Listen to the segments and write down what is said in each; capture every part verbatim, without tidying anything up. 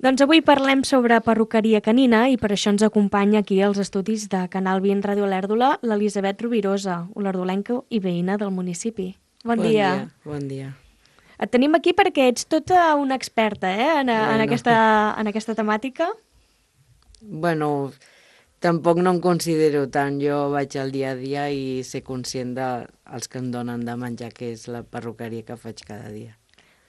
Doncs avui parlem sobre perruqueria canina i per això ens acompanya aquí als estudis de Canal vint Ràdio Olèrdola l'Elisabet Rovirosa, olèrdolenca i veïna del municipi. Bon, Bon dia. dia, bon dia. Et tenim aquí perquè ets tota una experta eh, en, en, Bueno. aquesta, en aquesta temàtica. Bueno, tampoc no em considero tant. Jo vaig al dia a dia i ser conscient dels que em donen de menjar, que és la perruqueria que faig cada dia.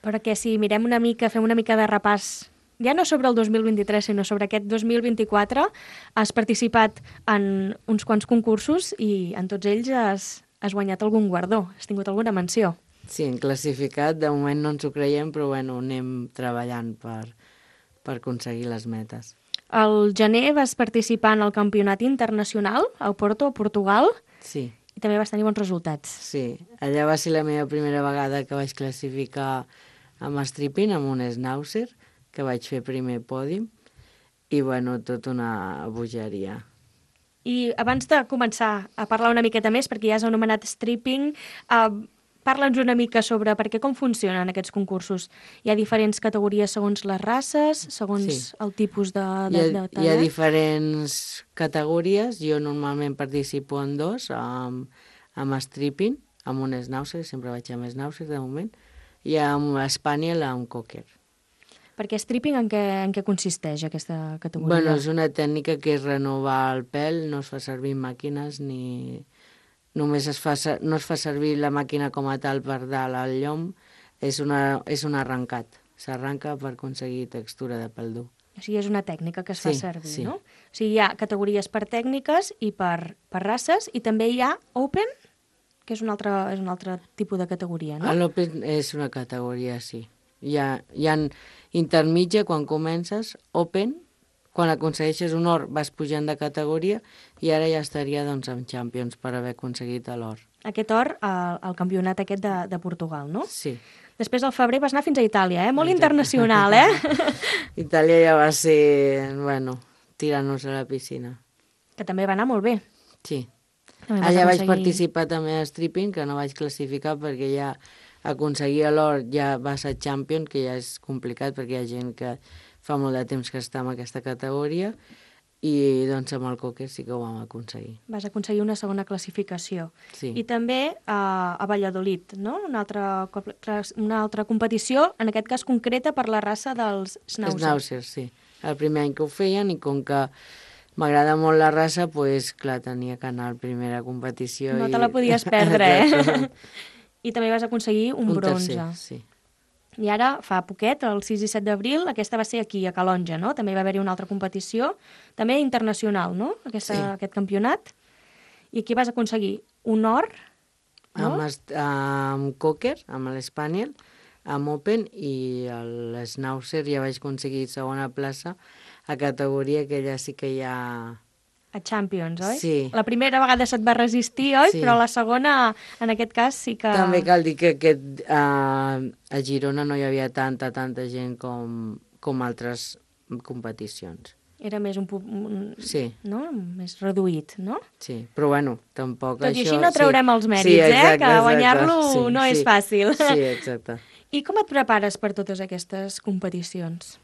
Perquè si mirem una mica, fem una mica de repàs, ja no sobre el dos mil vint-i-tres, sinó sobre aquest dos mil vint-i-quatre, has participat en uns quants concursos i en tots ells has, has guanyat algun guardó, has tingut alguna menció. Sí, en classificat, de moment no ens ho creiem, però bueno, anem treballant per, per aconseguir les metes. Al gener vas participar en el campionat internacional a Porto, a Portugal, Sí, i també vas tenir bons resultats. sí. Allà va ser la meva primera vegada que vaig classificar amb stripping, amb un schnauzer, que vaig fer primer pòdium, i bueno, tot una bogeria. I abans de començar a parlar una miqueta més, perquè ja has anomenat stripping, eh, parla'ns una mica sobre per què, com funcionen aquests concursos. Hi ha diferents categories segons les races, segons Sí. el tipus de, Hi de, ha, de hi ha tallat? diferents categories. Jo normalment participo en dos, amb, amb stripping, amb un schnauzer, sempre vaig amb schnauzer de moment, i amb spaniel, amb cocker. Perquè stripping en què, en què consisteix aquesta categoria? Bueno, és una tècnica que és renovar el pèl, no es fa servir màquines ni... Només es fa, ser- no es fa servir la màquina com a tal per dalt al llom, és, una, és un arrencat. S'arranca per aconseguir textura de pèl dur. O sigui, és una tècnica que es fa Sí, servir, sí. no? O sigui, hi ha categories per tècniques i per, per races, i també hi ha open, que és un altre, és un altre tipus de categoria, no? L'open és una categoria, sí. Hi ha, hi ha intermitja quan comences, open, quan aconsegueixes un or vas pujant de categoria i ara ja estaria doncs, amb Champions per haver aconseguit l'or. Aquest or al, al campionat aquest de, de Portugal, no? Sí. Després al febrer vas anar fins a Itàlia, eh? Molt Exacte. internacional, eh? Itàlia ja va ser, bueno, tirant-nos a la piscina. Que també va anar molt bé. Sí. També vas Allà vaig aconseguir- participar també a stripping, que no vaig classificar perquè ja aconseguir l'or ja va ser champion, que ja és complicat perquè hi ha gent que fa molt de temps que està en aquesta categoria, i doncs amb el cocker sí que ho vam aconseguir. Vas aconseguir una segona classificació. Sí. I també a, a Valladolid, no? Una altra, co- una altra competició, en aquest cas concreta per la raça dels Schnauzer. Schnauzer, sí. El primer any que ho feien i com que m'agrada molt la raça, doncs clar, tenia que anar a la primera competició. No i... te la podies perdre, eh? Exacte. I també vas aconseguir un, Un bronze. tercer, sí. I ara, fa poquet, el sis i set d'abril, aquesta va ser aquí, a Calonja, no? També va haver-hi una altra competició, també internacional, no? Aquesta, Sí. Aquest campionat. I aquí vas aconseguir un or, no? Amb, est- amb cocker, amb l'Spaniel, amb open, i l'Schnauzer ja vaig aconseguir segona plaça a categoria que ja sí que ja... A Champions, oi? Sí. La primera vegada se't va resistir, oi? Sí. Però la segona, en aquest cas, sí que... També cal dir que aquest, uh, a Girona no hi havia tanta, tanta gent com, com altres competicions. Era més un, pu- un... Sí. No? Més reduït, no? Sí, però bueno, tampoc Tot i això... així no traurem sí. els mèrits, Sí, eh? exacte, Que exacte. guanyar-lo Sí, no és sí. fàcil. Sí, exacte. I com et prepares per totes aquestes competicions?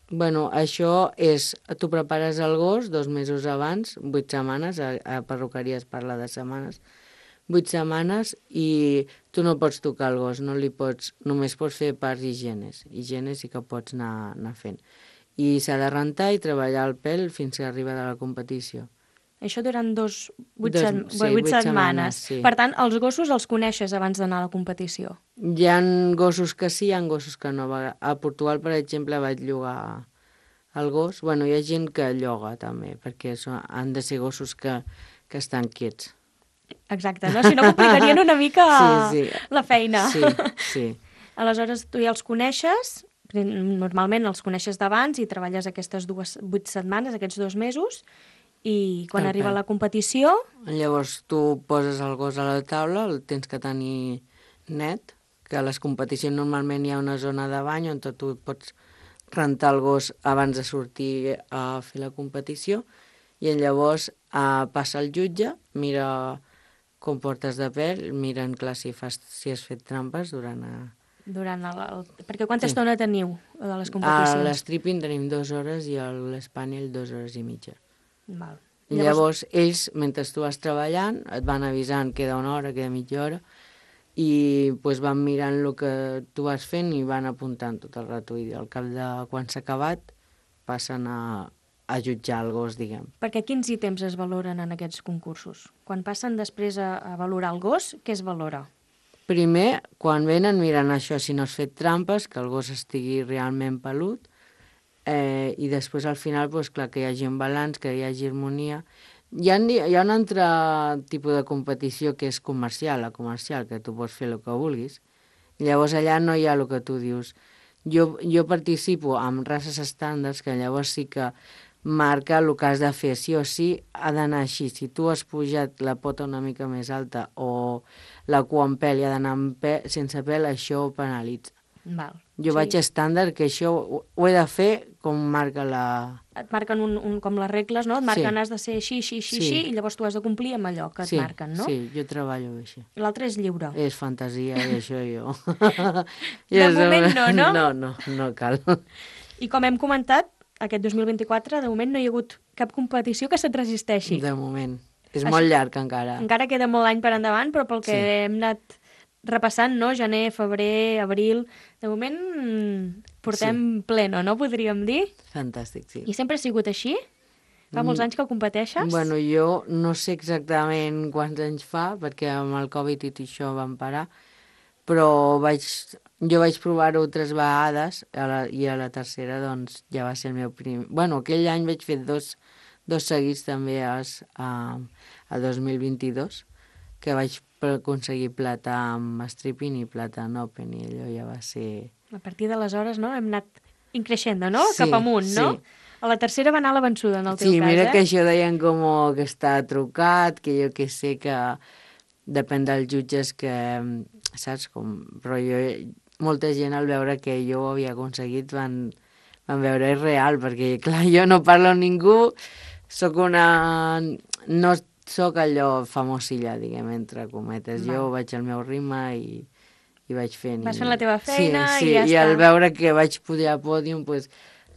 Bueno, això és, tu prepares el gos dos mesos abans, vuit setmanes, a, a perruqueria es parla de setmanes, vuit setmanes, i tu no pots tocar el gos, no li pots, només pots fer parts higienes. Higienes sí que pots anar, anar fent. I s'ha de rentar i treballar el pèl fins que arriba de la competició. Això durant dos, vuit, Dos- set, sí, vuit vuit setmanes. setmanes, sí. Per tant, els gossos els coneixes abans d'anar a la competició. Hi ha gossos que sí, hi ha gossos que no. A Portugal, per exemple, vaig llogar el gos. Bueno, hi ha gent que lloga també, perquè són, han de ser gossos que, que estan quiets. Exacte, no? Si no, complicarien una mica Sí, sí. la feina. Sí, sí. Aleshores, tu ja els coneixes, normalment els coneixes d'abans i treballes aquestes dues, vuit setmanes, aquests dos mesos, i quan El arriba pèl. la competició, Llavors tu poses el gos a la taula, el tens que tenir net, que a les competicions normalment hi ha una zona de bany on tu pots rentar el gos abans de sortir a fer la competició, i llavors eh, passa el jutge, mira com portes de pèl, miren clar si, fas, si has fet trampes durant... A... durant el... el... Perquè quanta Sí. estona teniu de les A competicions? l'stripping tenim dues hores i a l'espanyol dues hores i mitja. Val. I llavors, ells, mentre tu vas treballant, et van avisant queda una hora, queda mitja hora, i pues, van mirant el que tu vas fent i van apuntant tot el rato. I al cap de quan s'ha acabat, passen a, a jutjar el gos, diguem. Perquè quins ítems es valoren en aquests concursos? Quan passen després a, a valorar el gos, què es valora? Primer, quan venen, miren això, si no has fet trampes, que el gos estigui realment pelut, eh, i després al final, pues, clar, que hi hagi un balanç, que hi hagi harmonia. Hi ha, hi ha un altre tipus de competició que és comercial, la comercial, que tu pots fer el que vulguis. Llavors allà no hi ha el que tu dius. Jo, jo participo amb races estàndards, que llavors sí que marca el que has de fer, sí o sí, ha d'anar així. Si tu has pujat la pota una mica més alta o la cua en pèl i ha d'anar pe sense pèl, això ho penalitza. Val. Jo Sí. vaig estàndard, que això ho, ho he de fer com marca la... Et marquen un, un, com les regles, no? Et marquen, Sí. has de ser així, així, així, Sí. així, i llavors tu has de complir amb allò que et sí, marquen, no? Sí, jo treballo així. I l'altre és lliure. És fantasia i això jo... De Jo moment no, no? No, no, no cal. I com hem comentat, aquest dos mil vint-i-quatre, de moment no hi ha hagut cap competició que se't resisteixi. De moment. És Això- molt llarg encara. Encara queda molt any per endavant, però pel que Sí. hem anat repassant, no? Gener, febrer, abril... De moment mm, portem sí. pleno, no? Podríem dir. Fantàstic, sí. I sempre ha sigut així? Fa molts anys que competeixes? Bueno, jo no sé exactament quants anys fa, perquè amb el Covid i tot això vam parar, però vaig, jo vaig provar-ho tres vegades a la, i a la tercera doncs ja va ser el meu primer... Bueno, aquell any vaig fer dos, dos seguits també als, a, a dos mil vint-i-dos, que vaig aconseguir plata amb stripping i plata en open, i allò ja va ser... A partir d'aleshores, no? Hem anat increixent, no? Sí, Cap amunt, no? sí. A la tercera va anar la vençuda, en el teu Sí, cas, mira eh? que això deien com que està trucat, que jo que sé que depèn dels jutges que, saps, com... Però jo, molta gent al veure que jo ho havia aconseguit van, van veure és real, perquè clar, jo no parlo amb ningú, sóc una... no sóc allò famosilla, diguem, entre cometes. Val. Jo vaig al meu ritme i, i vaig fent... Vas i- fent la teva feina sí, i sí, ja i està. al veure que vaig pujar al pòdium, pues,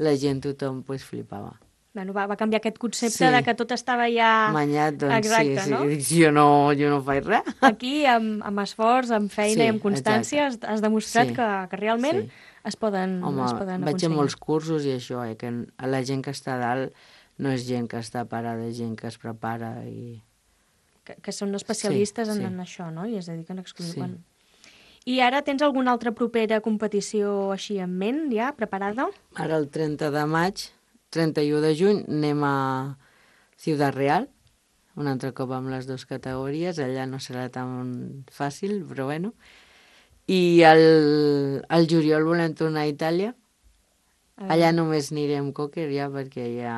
la gent, tothom, pues, flipava. Bueno, va, va canviar aquest concepte Sí. de que tot estava ja... Manyat, doncs Exacte, sí, no? sí. Dic, Jo no, jo no faig res. Aquí, amb, amb esforç, amb feina Sí, i amb constància, has, has demostrat Sí. que, que realment Sí. es poden, Home, es poden vaig a aconseguir. molts cursos i això, eh, que la gent que està a dalt no és gent que està parada, és gent que es prepara i... Que, que són especialistes Sí, en, sí. en això, no? I es dediquen exclusivament. Sí. I ara tens alguna altra propera competició així en ment, ja, preparada? Ara el trenta de maig, trenta i u de juny, anem a Ciudad Real, un altre cop amb les dues categories, allà no serà tan fàcil, però bueno. I el, el juliol volem tornar a Itàlia. A veure. Allà només anirem cocker ja, perquè ja...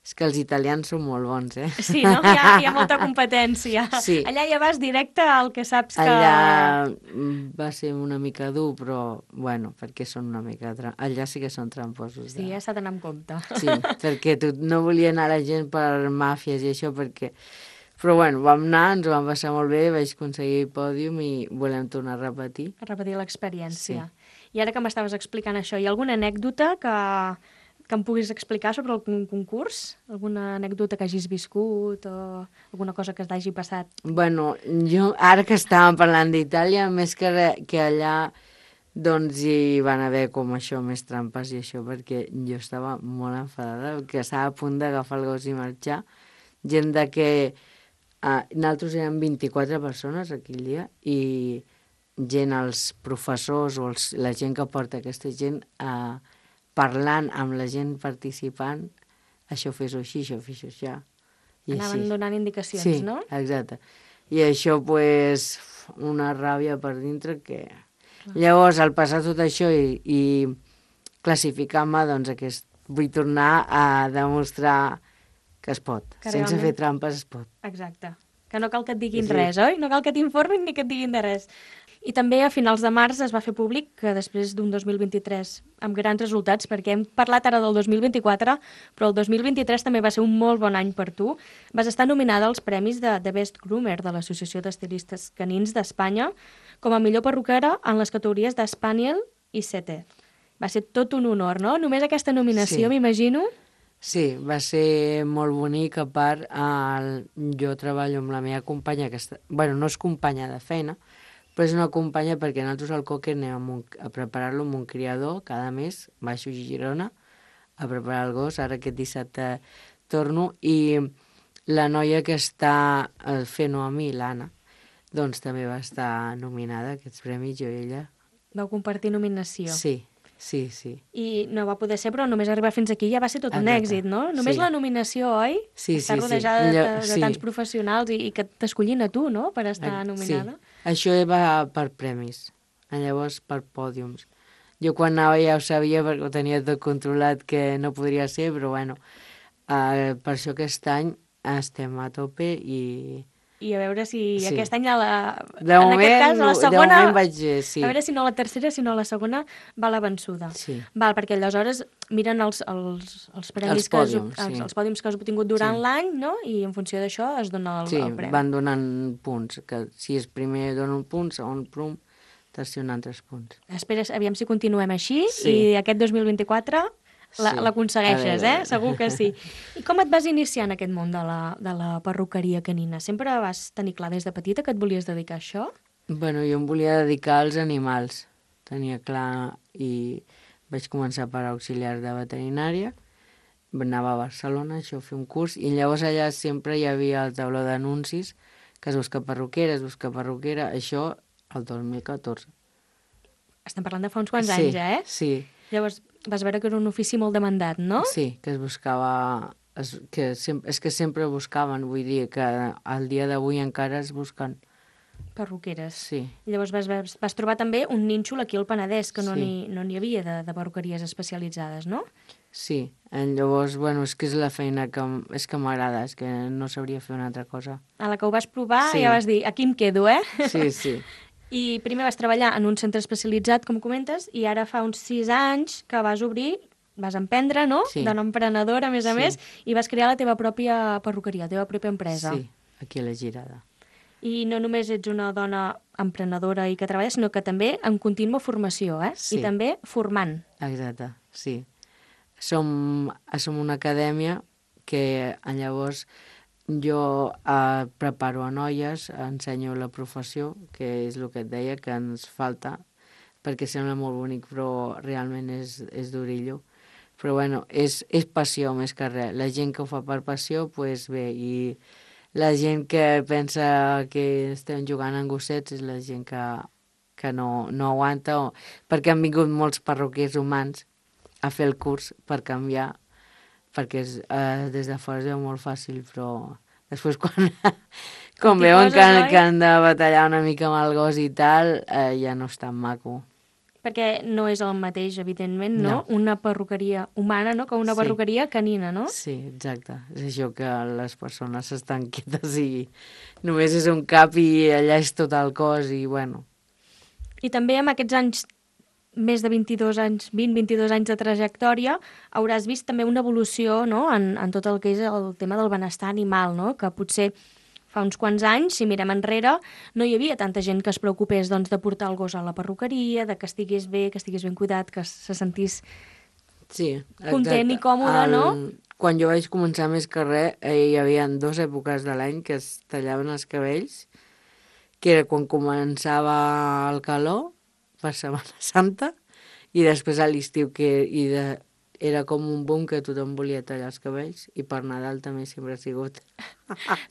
És que els italians són molt bons, eh? Sí, no? Hi ha, hi ha molta competència. Sí. Allà ja vas directe al que saps que... Allà mm, va ser una mica dur, però, bueno, perquè són una mica... Tra... Allà sí que són tramposos. Sí, ja s'ha d'anar amb compte. Sí, perquè tu, no volia anar la gent per màfies i això, perquè... Però, bueno, vam anar, ens ho vam passar molt bé, vaig aconseguir pòdium i volem tornar a repetir. A repetir l'experiència. I ara que m'estaves explicant això, hi ha alguna anècdota que, que em puguis explicar sobre el con- concurs? Alguna anècdota que hagis viscut o alguna cosa que t'hagi passat? Bueno, jo, ara que estàvem parlant d'Itàlia, més que, re, que allà, doncs hi van haver com això, més trampes i això, perquè jo estava molt enfadada, que estava a punt d'agafar el gos i marxar. Gent de que... Uh, nosaltres érem vint-i-quatre persones aquell dia i gent, els professors o els, la gent que porta aquesta gent uh, parlant amb la gent participant, això fes-ho així, això fes-ho així. I Anaven així. donant indicacions, Sí, no? exacte. I això, pues, una ràbia per dintre que... Llavors, al passar tot això i, i classificar-me, doncs, aquest, vull tornar a demostrar que es pot. Que Sense realment- fer trampes es pot. Exacte. Que no cal que et diguin Sí. res, oi? No cal que t'informin ni que et diguin de res. I també a finals de març es va fer públic que després d'un dos mil vint-i-tres amb grans resultats, perquè hem parlat ara del dos mil vint-i-quatre, però el dos mil vint-i-tres també va ser un molt bon any per tu. Vas estar nominada als premis de, de Best Groomer de l'Associació d'Estilistes Canins d'Espanya com a millor perruquera en les categories d'Spaniel i Setter. Va ser tot un honor, no? Només aquesta nominació, Sí. m'imagino. Sí, va ser molt bonic, a part, el... jo treballo amb la meva companya, que està... bueno, no és companya de feina, però és una companya perquè nosaltres al Cocker anem a, un... a preparar-lo amb un criador cada mes, baixo a Girona, a preparar el gos, ara aquest dissabte torno, i la noia que està fent-ho a mi, l'Anna, doncs també va estar nominada a aquests premis, jo i ella. Vau compartir nominació. Sí. Sí, sí. I no va poder ser, però només arribar fins aquí ja va ser tot un Exacte. èxit, no? Només Sí. la nominació, oi? Sí, Estar sí, sí. rodejada Allò- de, de sí. tants professionals i, i que t'escollin a tu, no?, per estar Eh, nominada. Sí, això va per premis, llavors per pòdiums. Jo quan anava ja ho sabia perquè ho tenia tot controlat que no podria ser, però bueno, eh, per això aquest any estem a tope i... I a veure si Sí. aquest any, a la, De en moment, aquest cas, a la de segona... moment vaig... eh, Sí, A veure si no la tercera, si no la segona va la vençuda. sí, Val, perquè aleshores miren els, els, els premis Els que has, pòdiums, els, sí. els pòdiums que has obtingut durant Sí. l'any, no? I en funció d'això es dona el, sí, el premi. van donant punts, que si és primer dona un punt, segon punt, tercer un altres punts. Espera, aviam si continuem així Sí. i aquest dos mil vint-i-quatre la- Sí. l'aconsegueixes, A veure. eh? Segur que sí. I com et vas iniciar en aquest món de la, de la perruqueria canina? Sempre vas tenir clar des de petita que et volies dedicar a això? Bueno, jo em volia dedicar als animals, tenia clar, i vaig començar per auxiliar de veterinària, anava a Barcelona, això, a fer un curs, i llavors allà sempre hi havia el tauló d'anuncis, que es busca perruquera, es busca perruquera, això el dos mil catorze. Estem parlant de fa uns quants sí, anys, eh? Sí, Llavors vas veure que era un ofici molt demandat, no? sí, que es buscava... Es, que sem, és que sempre buscaven, vull dir que al dia d'avui encara es busquen. Perruqueres. Sí, I llavors vas, vas, vas trobar també un nínxol aquí al Penedès, que no Sí. n'hi no n'hi havia de, de perruqueries especialitzades, no? sí. Llavors, bueno, és que és la feina que, m- és que m'agrada, és que no sabria fer una altra cosa. A la que ho vas provar Sí. ja vas dir, aquí em quedo, eh? Sí, sí. I primer vas treballar en un centre especialitzat, com comentes, i ara fa uns sis anys que vas obrir, vas emprendre, no? Sí. De nom emprenedor, a més a Sí. més, i vas crear la teva pròpia perruqueria, la teva pròpia empresa. Sí, aquí a la Girada. I no només ets una dona emprenedora i que treballa, sinó que també en contínua formació, eh? Sí. I també formant. Exacte, sí. Som, som una acadèmia que llavors jo eh, preparo a noies, ensenyo la professió, que és el que et deia, que ens falta, perquè sembla molt bonic, però realment és, és durillo. Però bueno, és, és passió més que res. La gent que ho fa per passió, doncs pues bé, i la gent que pensa que estem jugant en gossets és la gent que, que no, no aguanta, o, perquè han vingut molts perruquers humans a fer el curs per canviar, perquè és, eh, des de fora es veu molt fàcil, però després quan, quan T'hi veuen poses, que, oi? que han de batallar una mica amb el gos i tal, eh, ja no és tan maco. Perquè no és el mateix, evidentment, no? No. Una perruqueria humana, no?, que una Sí. perruqueria canina, no? Sí, exacte. És això que les persones estan quietes i només és un cap i allà és tot el cos i bueno, I també amb aquests anys, més de vint-i-dos anys, vint a vint-i-dos anys de trajectòria, hauràs vist també una evolució, no?, en, en tot el que és el tema del benestar animal, no?, que potser fa uns quants anys, si mirem enrere, no hi havia tanta gent que es preocupés doncs, de portar el gos a la perruqueria, de que estigués bé, que estigués ben cuidat, que se sentís... sí. Content i còmode, no? Quan jo vaig començar més que res, eh, hi havia dues èpoques de l'any que es tallaven els cabells, que era quan començava el calor, per Setmana Santa, i després a l'estiu, que i de, era com un boom que tothom volia tallar els cabells, i per Nadal també sempre ha sigut.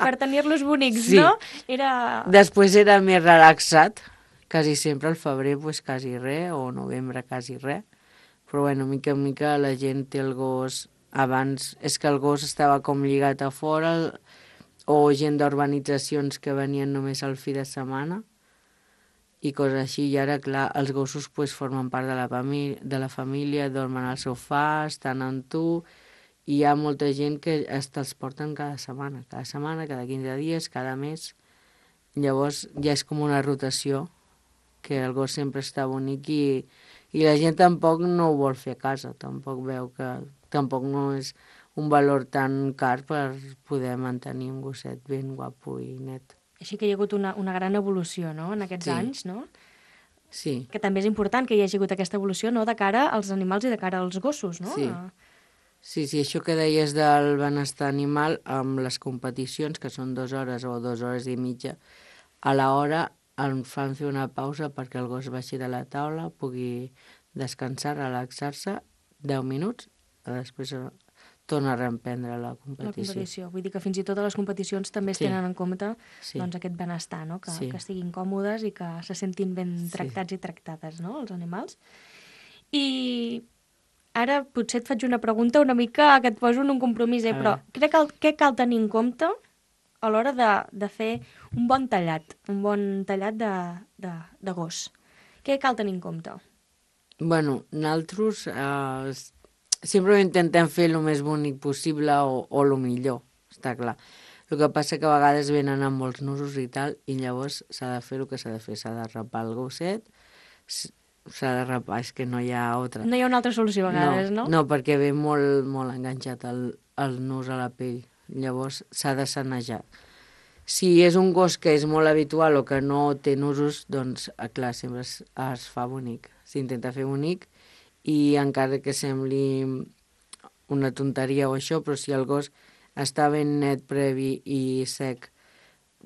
Per tenir-los bonics, Sí. no? Era... Després era més relaxat, quasi sempre al febrer, pues, quasi res, o novembre quasi res. Però bueno, mica en mica la gent té el gos... Abans és que el gos estava com lligat a fora, o gent d'urbanitzacions que venien només al fi de setmana, i coses així. I ara, clar, els gossos pues, formen part de la, família, de la família, dormen al sofà, estan amb tu, hi ha molta gent que es te'ls porten cada setmana, cada setmana, cada quinze dies, cada mes. Llavors ja és com una rotació, que el gos sempre està bonic i, i la gent tampoc no ho vol fer a casa, tampoc veu que tampoc no és un valor tan car per poder mantenir un gosset ben guapo i net. Així que hi ha hagut una, una gran evolució, no?, en aquests Sí. anys, no? Sí, Que també és important que hi hagi hagut aquesta evolució, no?, de cara als animals i de cara als gossos, no? Sí. sí, sí, això que deies del benestar animal, amb les competicions, que són dues hores o dues hores i mitja, a l'hora em fan fer una pausa perquè el gos baixi de la taula, pugui descansar, relaxar-se, deu minuts, i després torna a reemprendre la La competició. competició. Vull dir que fins i tot a les competicions també es Sí. tenen en compte Sí. doncs, aquest benestar, no? Que, Sí. que estiguin còmodes i que se sentin ben Sí. tractats i tractades, no?, els animals. I ara potser et faig una pregunta una mica que et poso en un compromís, eh? A Però veure. crec que, què cal tenir en compte a l'hora de, de fer un bon tallat, un bon tallat de, de, de gos? Què cal tenir en compte? Bueno, nosaltres eh, sempre intentem fer el més bonic possible o, o el millor, està clar. El que passa que a vegades venen amb molts nusos i tal, i llavors s'ha de fer el que s'ha de fer. S'ha de rapar el gosset, s- s'ha de rapar, és que no hi ha altra. No hi ha una altra solució a vegades, no? No, perquè ve molt, molt enganxat el, el nus a la pell. Llavors s'ha de sanejar. Si és un gos que és molt habitual o que no té nusos, doncs, eh, clar, sempre es, es fa bonic. S'intenta fer bonic i encara que sembli una tonteria o això, però si el gos està ben net, previ i sec,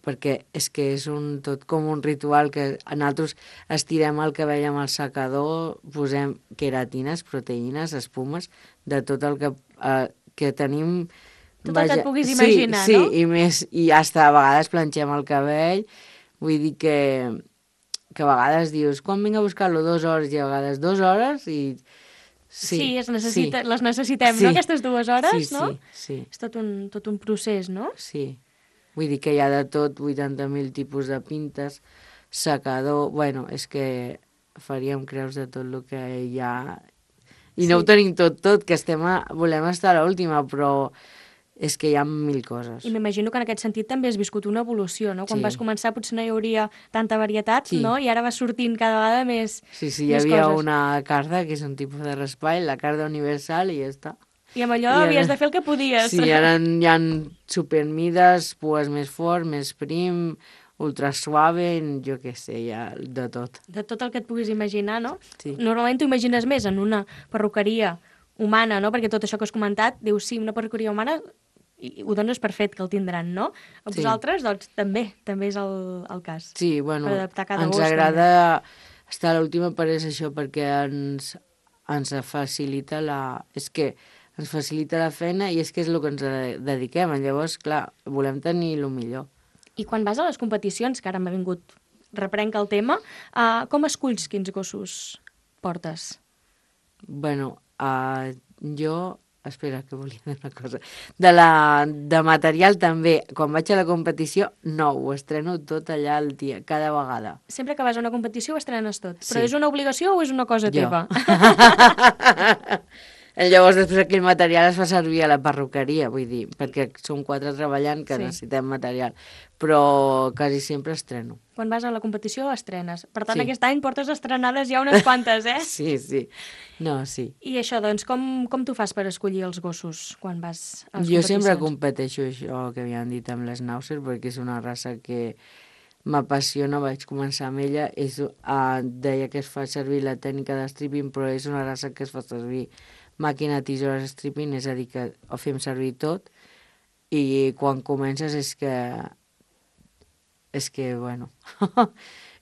perquè és que és un, tot com un ritual que nosaltres estirem el cabell amb el secador, posem queratines, proteïnes, espumes, de tot el que, eh, que tenim. Tot el que et puguis sí, imaginar, sí, no? i més, i hasta a vegades planxem el cabell, vull dir que, que a vegades dius, quan vinc a buscar-lo? Dues hores, i a vegades dues hores, i Sí, sí, es necessita, sí, les necessitem, sí, no?, aquestes dues hores, sí, no? sí, sí, És tot un, tot un procés, no? sí. Vull dir que hi ha de tot, vuitanta mil tipus de pintes, secador, bueno, és que faríem creus de tot el que hi ha. I no Sí. ho tenim tot, tot, que estem a, volem estar a l'última, però és que hi ha mil coses. I m'imagino que en aquest sentit també has viscut una evolució, no? Quan Sí. vas començar potser no hi hauria tanta varietat, Sí. no? I ara vas sortint cada vegada més, Sí, sí, hi més havia coses. una carda, que és un tipus de raspall, la carda universal, i ja està. I amb allò I ara- havies de fer el que podies. Sí, ara hi ha supermides, pues més fort, més prim, ultra suave, jo què sé, hi ha de tot. De tot el que et puguis imaginar, no? Sí. Normalment t'ho imagines més en una perruqueria humana, no? Perquè tot això que has comentat, dius, sí, una perruqueria humana, i ho dones per fet que el tindran, no? A Sí. vosaltres, doncs, també, també és el, el cas. Sí, bueno, Per adaptar cada ens gos, agrada estar a l'última per és això, perquè ens, ens facilita la... És que ens facilita la feina i és que és el que ens de- dediquem. Llavors, clar, volem tenir el millor. I quan vas a les competicions, que ara m'ha vingut, reprenc el tema, uh, com esculls quins gossos portes? Bueno, uh, jo... Espera, que volia dir una cosa. De, la, de material també, quan vaig a la competició, no, ho estreno tot allà al dia, cada vegada. Sempre que vas a una competició ho estrenes tot. Però Sí. és una obligació o és una cosa Jo. teva? Llavors, després aquell material es fa servir a la perruqueria, vull dir, perquè som quatre treballant que Sí. necessitem material, però quasi sempre estreno. Quan vas a la competició estrenes. Per tant, Sí. aquest any portes estrenades ja unes quantes, eh? Sí, sí. No, sí. I això, doncs, com, com tu fas per escollir els gossos quan vas a les Jo competicions? sempre competeixo això que havien dit amb l'Schnauzer, perquè és una raça que m'apassiona, vaig començar amb ella, és, uh, deia que es fa servir la tècnica de stripping, però és una raça que es fa servir màquina, tisores, stripping, és a dir, que ho fem servir tot, i quan comences és que... És que, bueno...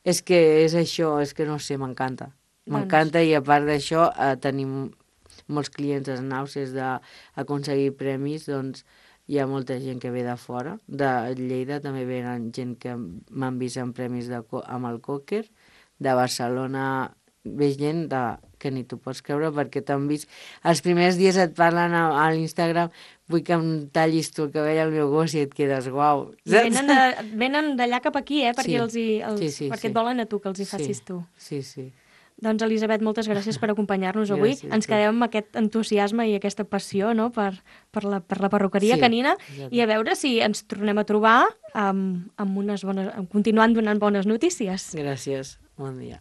és que és això, és que no sé, m'encanta. M'encanta, i a part d'això eh, tenim molts clients esnauses d'aconseguir premis, doncs hi ha molta gent que ve de fora. De Lleida també venen gent que m'han vist en premis de, co- amb el Cocker. De Barcelona ve gent de, que ni t'ho pots creure, perquè t'han vist... Els primers dies et parlen a, a l'Instagram, vull que em tallis tu el cabell al meu gos, i et quedes guau. I venen de- venen d'allà cap aquí, eh? Perquè, Sí. els hi, els, Sí, sí, perquè sí. et volen a tu, que els hi Sí. facis tu. Sí, sí. Doncs, Elisabet, moltes gràcies per acompanyar-nos avui. Gràcies, Ens quedem amb aquest entusiasme i aquesta passió, no?, per, per, la, per la perruqueria Sí, canina, exacte. i a veure si ens tornem a trobar amb, amb unes bones, continuant donant bones notícies. Gràcies, bon dia.